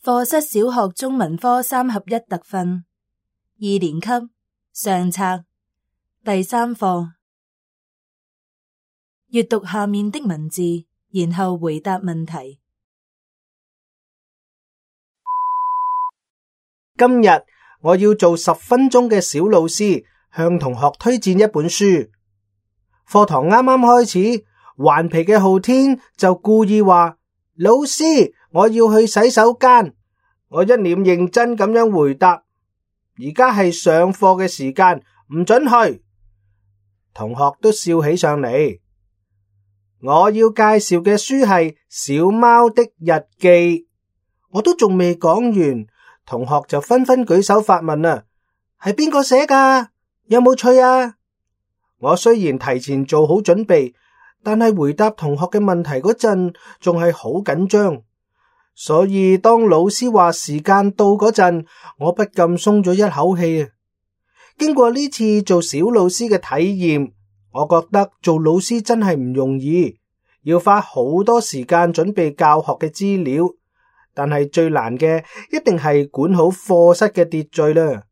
課室小學中文科3合1特訓2年級上冊第3課，閱讀下面的文字，然後回答問題。今日我要做10分鐘嘅小老師，向同學推薦一本書。課堂啱啱開始，頑皮嘅浩天就故意話：老師，我要去洗手間。我一臉認真咁樣回答：而家係上課嘅時間，唔准去。同學都笑起上嚟。我要介紹嘅書係《小貓的日記》，我都仲未講完，同學就紛紛舉手發問啦：係邊個寫噶？有冇趣啊？我雖然提前做好準備，但係回答同學嘅問題嗰陣仲係好緊張，所以當老師話時間到嗰陣，我不禁鬆咗一口氣啊！經過呢次做小老師嘅體驗，我覺得做老師真係唔容易，要花好多時間準備教學嘅資料，但係最難嘅一定係管好課室嘅秩序啦。